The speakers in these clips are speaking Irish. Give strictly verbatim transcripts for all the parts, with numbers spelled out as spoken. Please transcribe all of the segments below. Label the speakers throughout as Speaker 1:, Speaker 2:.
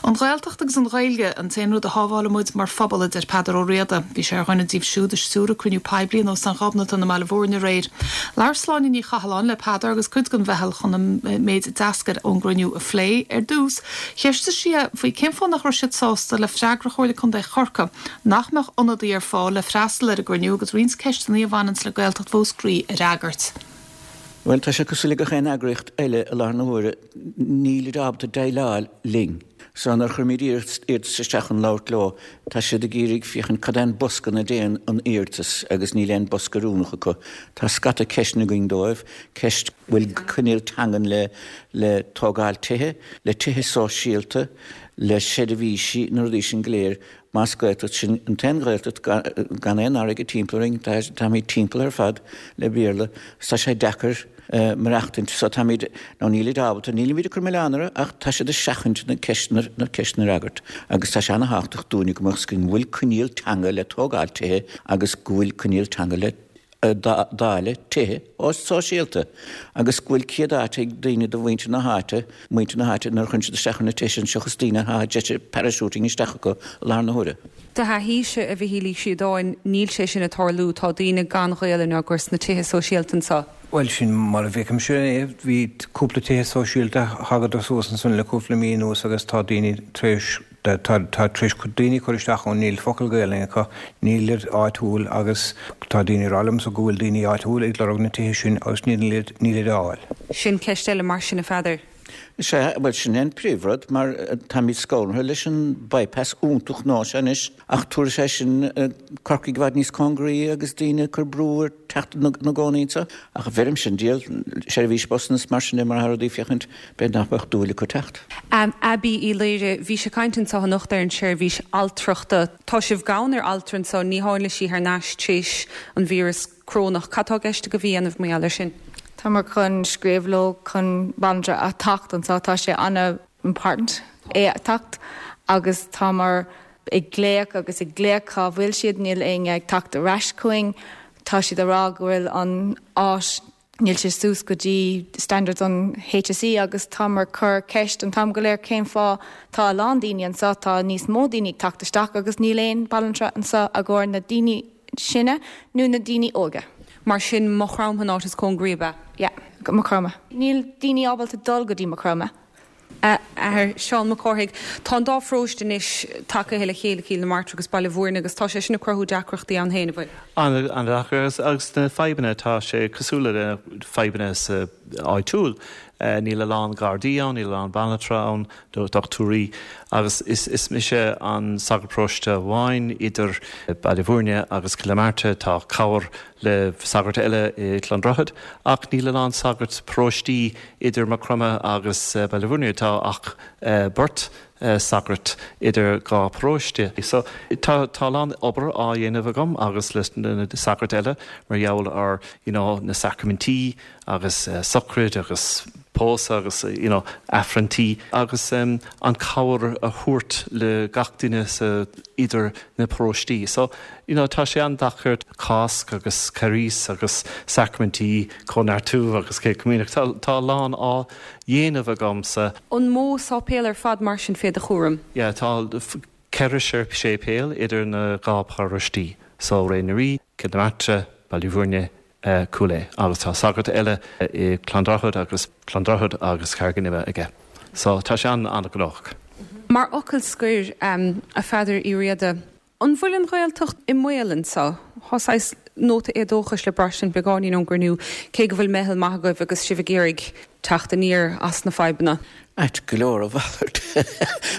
Speaker 1: An Ghaeltacht agus an Ghaeilge an t-aon rud a shábhálfaidh muid mar phobal a deir Peadar Ó Riada, Bhí sé ar dhuine díobh siúd a stiúir cruinniú poiblí in Óstán Ghobnatan i mBaile Bhúirne aréir. Labhair Sláine Ní Chathalláin le Peadar agus cuid den mheitheal chun an méid a d'eascair ón gcruinniú a phlé ar dtús, cheistigh sí faoi cén fáth nach raibh siad sásta le freagra Chomhairle Contae Chorcaí nach mbeadh ionadaí ar fáil le freastal ar an gcruinniú agus roinnt ceisteanna a bhaineann le Gaeltacht Mhúscraí a fhreagairt.
Speaker 2: Well tá sé cosúil le gach aon eagraíocht eile i láthair na huaire níl ábalta déileáil linn. So nuair a chuirimid iarratas isteach chun labhairt leo, tá siad ag iarraidh féachaint cad é an bosca ina dtéann an iarratas agus níl aon bosca oiriúnach acu. Tá scata ceisteanna againn dóibh, ceist bhfuil coinníoll teangan le le tógáil tithe, le tithe sóisialta, le seirbhísí na rudaí sin go léir más Gaeltacht sin an t-aon Ghaeltacht gan aon fharraige timpeall orainn táimid timpeall ar fad le Béarla, tá sé deacair maireachtaint so táimid nó níl ábalta nílimid ag cur milleán orthu ach tá siad ag seachaint na ceisteanna na ceisteanna a fhreagairt agus tá sé an-tábhachtach dúinne go mbeadh go bhfuil coinníoll teanga le tógáil tithe agus go bhfuil coinníoll teanga le dáileadh tithe sóisialta agus go bhfuil cead áit ag daoine de mhuintir na háite muintir na háite nuair a chuireann siad isteach na tithe sin seachas daoine atá parachuting isteach acu i láthair na huaire.
Speaker 3: Do thaithíse a Mhichíl Uí Shíodáin níl sé sin ag tarlú tá daoine gan Ghaelainn á gcur sna tithe sóisialta anseo.
Speaker 4: Well sin mar a bhí sin é bhí cúpla tithe sóisialta thagad suas ansin le cúpla mí anuas agus tá daoine tar éis tá tar éis daoine cur isteach ann níl focal Gaelainne acu níl áitiúil agus tá daoine ag rá liomsa go bhfuil daoine áitiúil ag lorg na tithe sin agus níl níl fáil.
Speaker 3: Sin ceist eile mar sin a Pheadair.
Speaker 2: Sé well sin an príomhrud mar táimid scanraithe leis an bypass iontach ná se anois ach tabharfaidh sé sin Corcaigh i bhfad níos cóngaraí agus daoine cur brú ar teacht na gcónaí anseo ach bheirim sin díol seirbhís busanna mar sin mar rudaí féachaint b'fhéidir nach mbeadh dúil acu teacht.
Speaker 3: Um, Abby Uí Laoire bhí sé caint anseo anocht ar an seirbhís altrachta. Tá sibh gann ar altra anseo ní tháinig sí thar n-ais tréis an víreas corónach. Cad tá i gceist agaibh a dhéanamh mar gheall air sin.
Speaker 5: Tá mar chun scríobh leo chun banaltra a teacht anseo tá sé an-important é a teacht agus tá mar ag glaoch agus ag glaoch cá bhfuil siad níl éinne ag teacht ar ais chugainn tá siad ag rá go bhfuil an áit níl sé suas go dtí standards an HSE agus tá mar cur ceist an t-am go léir cén fáth tá a lán daoine anseo tá níos mó daoine ag teacht isteach agus níl aon banaltra anseo i gcomhair na daoine sine nó na daoine óga.
Speaker 3: Mar sin Maigh Chromtha an áit is cóngaraí be.
Speaker 5: Ja, Maigh Chromtha. Níl daoine ábalta dul go dtí Maigh Chromtha.
Speaker 3: Athair Seán Mac Cárthaigh Tá an dá pharóiste anois tagaithe le chéile Cill na Martra agus Baile Bhúirne agus tá sé sin ag cruthú deacrachtaí ann féin bhfuil.
Speaker 6: An an-deacair agus na fadhbanna tá sé cosúil le fadhbanna sa áitiúil. Uh, níl a lán gardaí ann, níl a lán banaltra ann do dochtúirí agus is, is mise an sagart paróiste amháin idir Baile Bhúirne agus Cill na Martra tá cabhair le sagart eile i Clondrohid ach níl a lán sagart paróistí idir Maigh Chromtha agus uh, Baile Bhúirne tá ach uh, beirt uh, sagart idir dhá paróiste. So tá tá lán obair á dhéanamh agam agus leis na sagart eile mar gheall ar you know, na sacraimintí agus uh, sochraid agus pósadh agus you know, aifrinntí agus um, an cabhair a thabhairt le gach duine sa idir na paróistí. So you know, tá sé an-deacair Cásc agus Carghas agus sacraimintí cóineartú agus cé coimíneach tá, tá lán á dhéanamh agamsa.
Speaker 3: An mó sáipéal ar fad mar sin fé do chúram?
Speaker 6: Ja, tá ceithre séipéal idir na dhá paróistí, so Ré na Rí, Cill na Martra, Baile Bhúirne, uh, Cúil Aodha agus tá sagart eile i Clondrohid agus Clondrohid agus Carraig an Ime aige. So tá sé an an-ghnóthach.
Speaker 3: Mar fhocal scoir um, a Pheadair Uí Riada, An bhfuil an Ghaeltacht i mbaol anseo Tá nóta éadóchais le braistint beagáinín ón gcruinniú cé go bhfuil meitheal maith agaibh agus sibh ag iarraidh teacht aniar as na fadhbanna.
Speaker 2: Ait go leor a mhalairt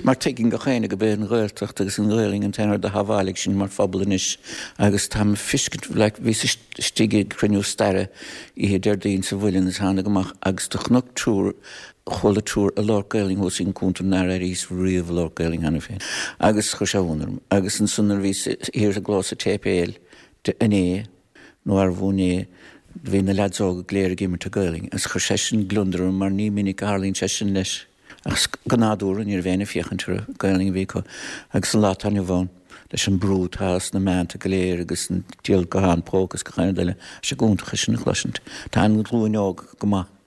Speaker 2: mar tuigeann gach éinne gurb é an Ghaeltacht agus an Ghaelainn an t-aon rud a shábhálfaidh sinn mar phobal anois agus tá fiscint le bhí istigh ag cruinniú staire oíche Déardaoin sa Mhuileann is tháinig amach agus do chonac triúr chuala triúr ag labhairt Gaelainn thuas ag an cuntar nár airíos riamh labhairt Gaelainn cheana féin. Agus chuir sé ionadh orm agus ansan a bhí thiar sa gclós sa tséipéal de inné nó ar bhúné bhí na leaids óga go léir ag imirt Gaelainn, agus chuir sé sin gliondar orm mar ní minic a tharlaíonn sé sin leis. Ach go nádúrtha ní raibh éinne ag féachaint orthu Gaelainn a bhí acu agus an lá atá inniu ann leis an brú atá sna meánta go léir agus an díol guthán póca agus gach aon rud eile sé iontach sin a chloisint. Tá an ghlúin óg go maith.